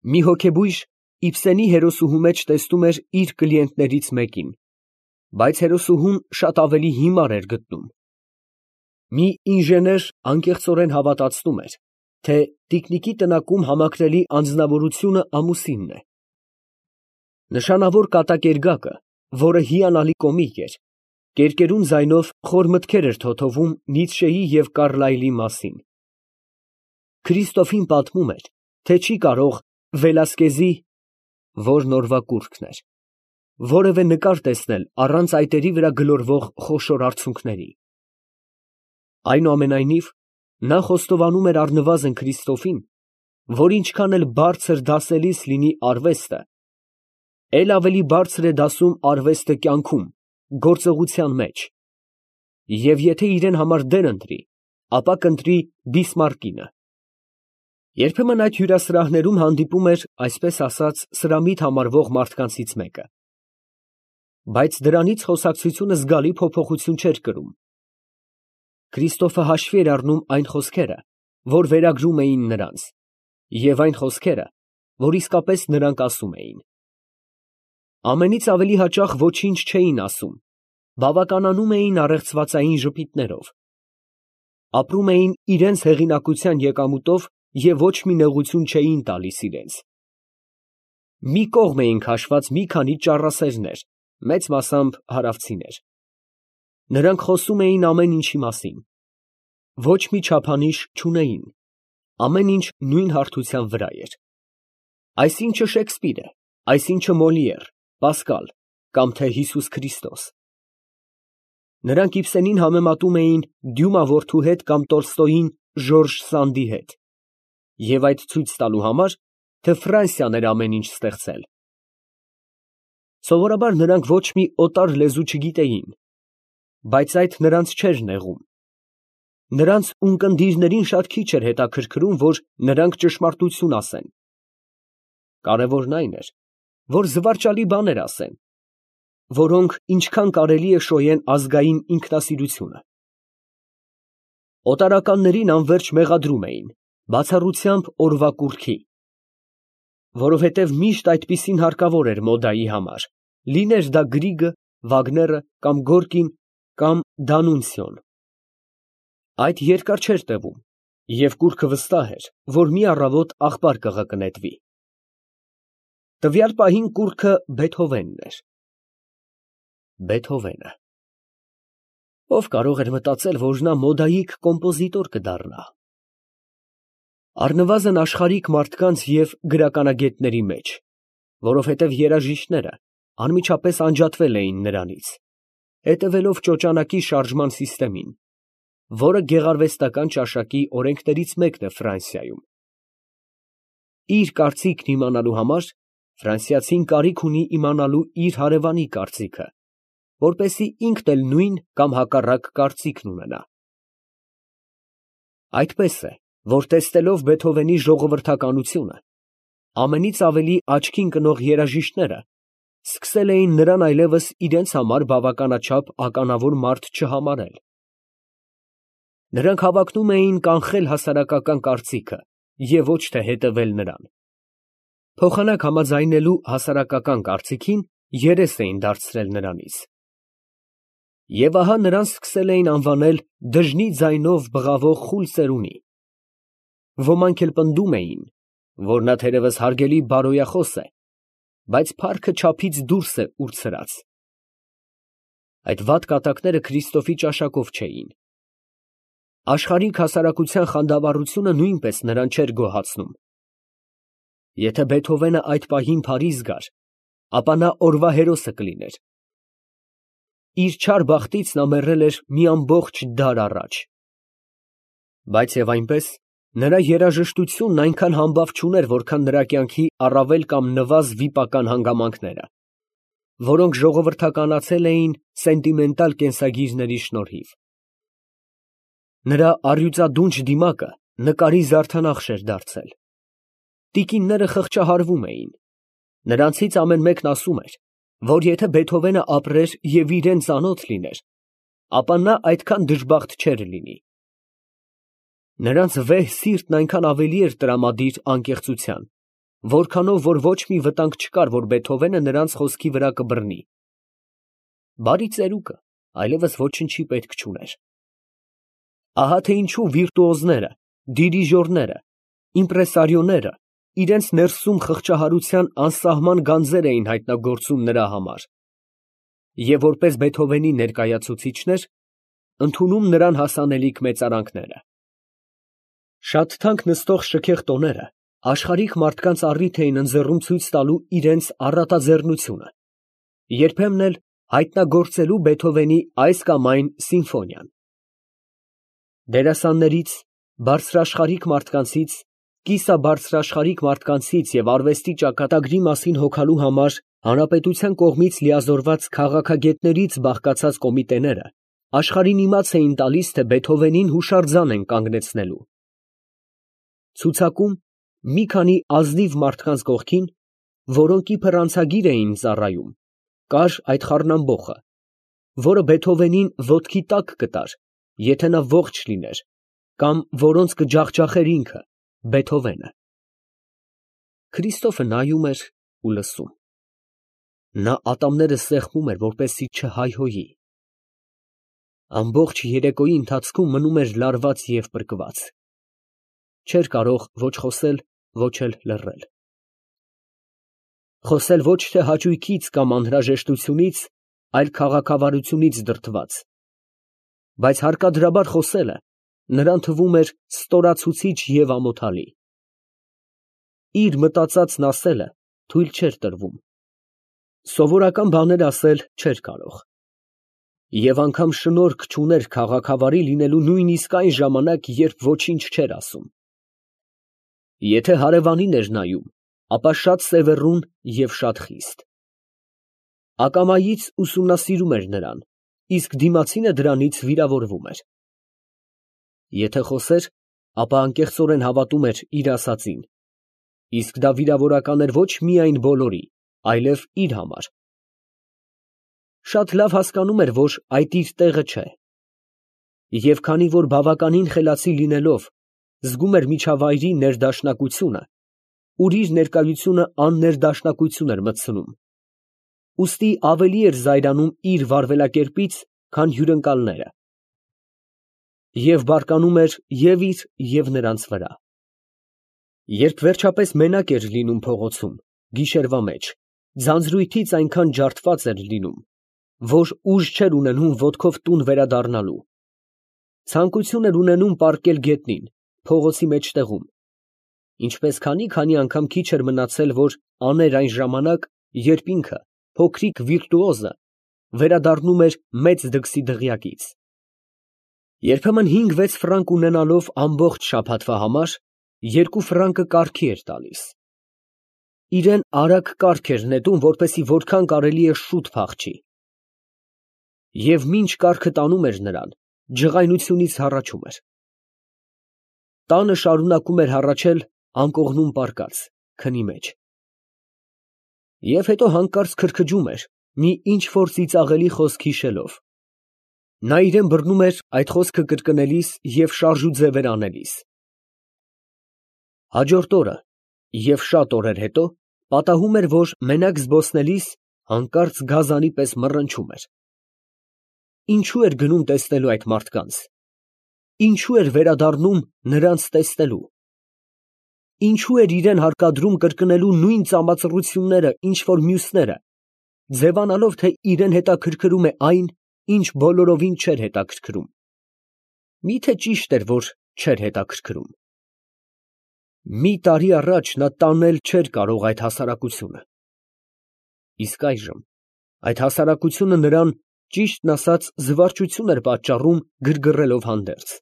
Մի հոգեբույժ Իբսենի հերոսուհու մեջ տեսնում էր իր կլիենտներից մեկին, բայց հերոսուհուն շատ ավելի հիմար էր գտնում։ Մի ինժեներ անկեղծորեն հավատացնում էր, թե տիկնիկի տնակում համակրելի անձնավորությունը ամուսինն է։ Նշանավոր կատակերգակը, որը հիանալի կոմիկ էր, կերկերուն ձայնով խոր մտքեր էր թոթովում Նիցշեի և Կարլայլի մասին։ Քրիստոֆին պատմում էր, թե չի կարող Վելասկեզի (որն օրվա կուռքն էր) որևէ նկար տեսնել առանց այտերի վրա գլորվող խոշոր արցունքների։ Այնուամենայնիվ, նա խոստովանում էր առնվազն Քրիստոֆին, որ ինչքան էլ բարձր դասելիս լինի արվեստը, էլ ավելի բարձր է դասում արվեստը կյանքում, գործողության մեջ, և եթե իրեն համար դեր ընտրի, ապա կընտրի Բիսմարկինը։ Երբեմն այդ հյուրասրահներում հանդիպում էր, այսպես ասած, սրամիտ համարվող մարդկանցից մեկը, բայց դրանից խոսակցությունը զգալի փոփոխություն չէր կրում։ Քրիստոֆը հաշվի էր առնում այն խոսքերը, որ վերագրում էին նրանց, և այն խոսքերը, որ իսկապես նրանք ասում էին։ Ամենից ավելի հաճախ ոչինչ չէին ասում, բավականանում էին առեղծվածային ժպիտներով, ապրում էին իրենց հեղինակության եկամուտով և ոչ մի նեղություն չէին տալիս իրենց։ Մի կողմ էին քաշված մի քանի ճառասերներ, մեծ մասամբ հարավցիներ։ Նրանք խոսում էին ամեն ինչի մասին, ոչ մի չափանիշ չունեին, ամեն ինչ նույն հարթության վրա էր։ Այսինչը Շեքսպիր է, այսինչը Մոլիեր, Պասկալ կամ թե Հիսուս Քրիստոս։ Նրանք Իբսենին համեմատում էին Դյումա որդու հետ կամ Տոլստոյին Ժորժ Սանդի հետ, և այդ ցույց տալու համար, թե Ֆրանսիան էր ամեն ինչ ստեղծել։ Սովորաբար նրանք ոչ մի օտար լեզու չգիտեին, բայց այդ նրանց չէր նեղում։ Նրանց ունկնդիրներին շատ քիչ էր հետաքրքրում, որ նրանք ճշմարտություն ասեն։ Կարևորն այն էր, որ զվարճալի բաներ ասեն, որոնք ինչքան կարելի է շոյեն ազգային ինքնասիրությունը։ Օտարականներին անվերջ մեղադրում էին, բացառությամբ օրվա կուռքի, որովհետև միշտ այդպիսին հարկավոր էր մոդայի համար, լիներ դա Գրիգը, Վագները կամ Գորկին կամ Դանունցիոն։ Այդ երկար չէր տևում, և կուռքը վստահ էր, որ մի առավոտ աղբար կղկնետվի։ Տվյալ պահին կուռքը Բեթհովենն էր։ Բեթհովենը։ Ով կարող էր մտածել, որ նա մոդայիկ կոմպոզիտոր կդառնա։ Առնվազն աշխարհիկ մարդկանց և գրականագետների մեջ, որովհետև երաժիշտները անմիջապես անջատվել էին նրանից, հետևելով ճոճանակի շարժման սիստեմին, որը գեղարվեստական ճաշակի օրենքներից մեկն է Ֆրանսիայում։ Իր կարծիքն իմանալու համար ֆրանսիացին կարիք ունի իմանալու իր հարևանի կարծիքը, որպեսզի ինքն էլ նույն կամ հակառակ կարծիքն ունենա։ Այդպես է, որ տեսնելով Բեթհովենի ժողովրդականությունը, ամենից ավելի աչքին կնող երաժիշտները սկսել էին նրան այլևս իրենց համար բավականաչափ ականավոր մարդ չհամարել։ Նրանք հավակնում էին կանխել հասարակական կարծիքը և ոչ թե հետևել նրան։ Փոխանակ համաձայնելու հասարակական կարծիքին երես էին դարձրել նրանից։ Եվ ահա նրան սկսել էին անվանել դժնի ձայնով բղավող խուլ ծերունի։ Ոմանք էլ պնդում էին, որ նա թերևս հարգելի բարոյախոս է, բայց փառքը չափից դուրս է ուրցրած։ Այդ վատ կատակները Քրիստոֆի ճաշակով չէին։ Աշխարհիկ հասարակության խանդավառությունը նույնպես նրան չէր գոհացնում։ Եթե Բեթհովենը այդ պահին Փարիզ գար, ապա նա օրվա հերոսը կլիներ։ Իր չար բախտից նա մեռել էր մի ամբողջ դար առաջ։ Բայց և այնպես, նրա երաժշտությունն այնքան համբավ չուներ, որքան նրա կյանքի առավել կամ նվազ վիպական հանգամանքները, որոնք ժողովրդականացել էին սենտիմենտալ կենսագիրների շնորհիվ։ Նրա առյուծադունչ դիմակը նկարի զարդանախշ էր դարձել։ Տիկինները խղճահարվում էին։ Նրանցից ամեն մեկն ասում էր, որ եթե Բեթհովենը ապրեր և իրան ծանոթ լիներ, ապա նա այդքան դժբախտ չէր լինի։ Նրանց վեհ սիրտն այնքան ավելի էր տրամադիր անկեղծության, որքանով որ ոչ մի վտանգ չկար, որ Բեթհովենը նրանց խոսքի վրա կբռնի։ Բարի ծերուկը այլևս ոչնչի պետք չուներ։ Ահա թե ինչու վիրտուոզները, դիրիժորները, իմպրեսարիոները իրենց ներսում խղճահարության անսահման գանձեր էին հայտնագործում նրա համար և որպես Բեթհովենի ներկայացուցիչներ ընդունում նրան հասանելիք մեծարանքները։ Շատ թանկ նստող շքեղ տոները աշխարհիկ մարդկանց առիթ էին ընձեռում ցույց տալու իրենց առատաձեռնությունը, երբեմն էլ հայտնագործելու Բեթհովենի այս կամ այն սիմֆոնիան։ Դերասաններից, բարձրաշխարհիկ մարդկանցից, կիսաբարձրաշխարհիկ մարդկանցից և արվեստի ճակատագրի մասին հոգալու համար հանրապետության կողմից լիազորված քաղաքագետներից բաղկացած կոմիտեները աշխարհին իմաց էին տալիս, թե Բեթհովենին հուշարձան են կանգնեցնելու։ Ցուցակում մի քանի ազնիվ մարդկանց կողքին, որոնք իբր անցագիր էին ծառայում, կար այդ խառնամբոխը, որը Բեթհովենին ոտքի տակ կտար, եթե նա ողջ լիներ, կամ որոնց կջախջախեր ինքը, Բեթհովենը։ Քրիստոֆը նայում էր ու լսում։ Նա ատամները սեղմում էր, որպեսզի չհայհոյի։ Ամբողջ երեկոյի ընթացքում մնում էր լարված և պրկված։ Չէր կարող ոչ խոսել, ոչ էլ լռել։ Խոսել ոչ թե հաճույքից կամ անհրաժեշտությունից, այլ քաղաքավարությունից դրդված, բայց հարկադրաբար խոսելը նրան թվում էր ստորացուցիչ և ամոթալի։ Իր մտածածն ասելը թույլ չէր տրվում, սովորական բաներ ասել չէր կարող, և անգամ շնորք չուներ քաղաքավարի լինելու նույնիսկ այն ժամանակ, երբ ոչինչ չէր ասում։ Եթե հարևանին էր նայում, ապա շատ սևեռուն և շատ խիստ։ Ակամայից ուսումնասիրում էր նրան, իսկ դիմացինը դրանից վիրավորվում էր։ Եթե խոսեր, ապա անկեղծորեն հավատում էր իր ասածին, իսկ դա վիրավորական էր ոչ միայն բոլորի, այլև իր համար։ Շատ լավ հասկանում էր, որ այդ իր տեղը չէ, և քանի որ բավականին խելացի լինելով, զգում էր միջավայրի ներդաշնակությունը, ուր իր ներկայությունը աններդաշնակություն էր մտցնում, ուստի ավելի էր զայրանում իր վարվելակերպից, քան հյուրընկալները, և բարկանում էր և իր, և նրանց վրա։ Երբ վերջապես մենակ էր լինում փողոցում, գիշերվա մեջ, ձանձրույթից այնքան ջարդված էր լինում, որ ուժ չէր ունենում ոտքով տուն վերադառնալու, ցանկություն էր ունենում պառկել գետնին, փողոցի մեջտեղում, ինչպես քանի անգամ քիչ էր մնացել, որ աներ այն ժամանակ, երբ ինքը, փոքրիկ վիրտուոզը, վերադառնում էր մեծ դքսի դղյակից։ Երբեմն 5-6 ֆրանկ ունենալով ամբողջ շաբաթվա համար, 2 ֆրանկը կառքի էր տալիս։ Իրան արագ կառք էր նետում, որպեսզի որքան կարելի է շուտ փախչի։ Եվ մինչ կառքը տանում էր նրան, ջղայնությունից հառաչում էր։ Տանը շարունակում էր հառաչել անկողնում պառկած, քնի մեջ։ Եվ հետո հանկարծ քրքջում էր, մի ինչ֊որ ծիծաղելի խոսք հիշելով։ Նա իրան բռնում էր այդ խոսքը կրկնելիս և շարժուձևեր անելիս։ Հաջորդ օրը և շատ օրեր հետո պատահում էր, որ մենակ զբոսնելիս հանկարծ գազանի պես մռնչում էր։ Ինչո՞ւ էր գնում տեսնելու այդ մարդկանց, ինչո՞ւ էր վերադառնում նրանց տեսնելու, ինչո՞ւ էր իրան հարկադրում կրկնելու նույն ծամածռությունները, ինչ որ մյուսները, ձևանալով, թե իրան հետաքրքրում է այն, ինչ բոլորովին չէր հետաքրքրում։ Մի՞թե ճիշտ էր, որ չէր հետաքրքրում։ Մի տարի առաջ նա տանել չէր կարող այդ հասարակությունը, իսկ այժմ այդ հասարակությունը նրան, ճիշտն ասած, զվարճություն էր պատճառում գրգռելով հանդերձ։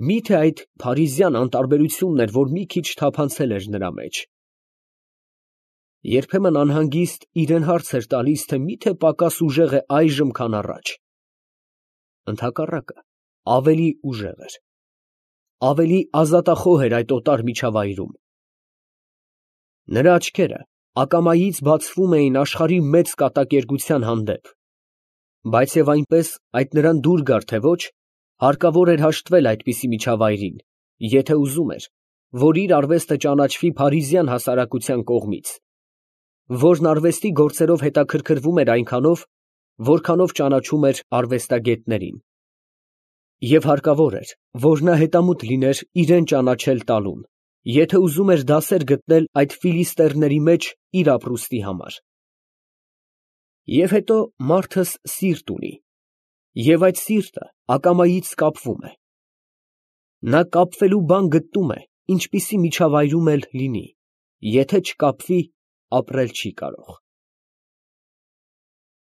Մի՞թե այդ փարիզյան անտարբերությունն էր, որ մի քիչ թափանցել էր նրա մեջ։ Երբեմն անհանգիստ իրան հարց էր տալիս, թե մի՞թե պակաս ուժեղ է այժմ, քան առաջ։ Ընդհակառակը, ավելի ուժեղ էր, ավելի ազատախոհ էր այդ օտար միջավայրում։ Նրա աչքերը ակամայից բացվում էին աշխարհի մեծ կատակերգության հանդեպ, բայց և այնպես այդ նրան դուր գար, թե ոչ, հարկավոր էր հաշտվել այդպիսի միջավայրին, եթե ուզում էր, որ իր արվեստը ճանաչվի փարիզյան հասարակության կողմից, որն արվեստի գործերով հետաքրքրվում էր այնքանով, որքանով ճանաչում էր արվեստագետներին, և հարկավոր էր, որ նա հետամուտ լիներ իրան ճանաչել տալուն, եթե ուզում էր դասեր գտնել այդ ֆիլիստերների մեջ իր ապրուստի համար։ Եվ հետո մարդս սիրտ ունի, և այդ սիրտը ակամայից կապվում է. նա կապվելու բան գտնում է, ինչպիսի միջավայրում էլ լինի, եթե չկապվի, ապրել չի կարող։